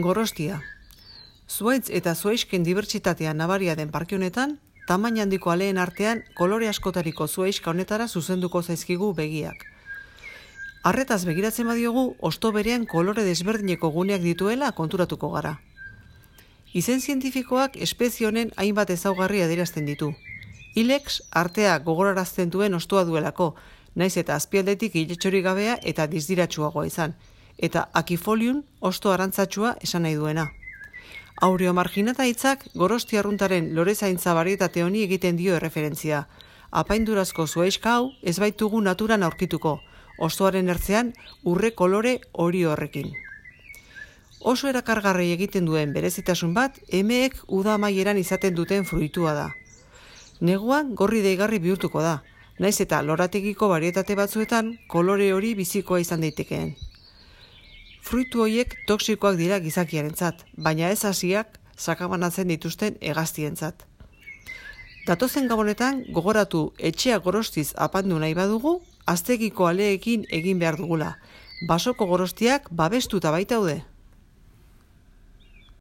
Gorostia. Zuhaitz eta zuhaixken dibertsitatea nabaria den parke honetan, tamaina handiko aleen artean kolore askotariko zuhaixka honetara zuzenduko zaizkigu begiak. Arretaz begiratzen badiogu, hosto berean kolore desberdineko guneak dituela konturatuko gara. Izen zientifikoak espezie honen hainbat ezaugarri adierazten ditu. Ilex artea gogorarazten duen hostoa duelako, naiz eta azpialdetik iletxorik gabea eta dizdiratsuagoa izan, eta Aquifolium hosto arantzatsua esan nahi duena. Aureomarginata hitzak Gorostia arruntaren lorezaintza barietate honi egiten dio erreferentzia. Apaindurazko zuhaixka hau ez baitugu naturan aurkituko, hostoaren ertzean urre kolore hori horrekin. Oso erakargarri egiten duen berezitasun bat, emeek uda amaieran izaten duten fruitua da. Neguan gorri deigarri bihurtuko da, naiz eta lorategiko barietate batzuetan kolore hori bizikoa izan daitekeen. Fruitu horiek toxikoak dira gizakiarentzat, baina ez hasiak sakabanatzen dituzten hegaztientzat. Datozen gabonetan gogoratu etxea gorostiz apandu nahi badugu, aztegiko aleekin egin behar dugula. Basoko gorostiak babestuta baitaude.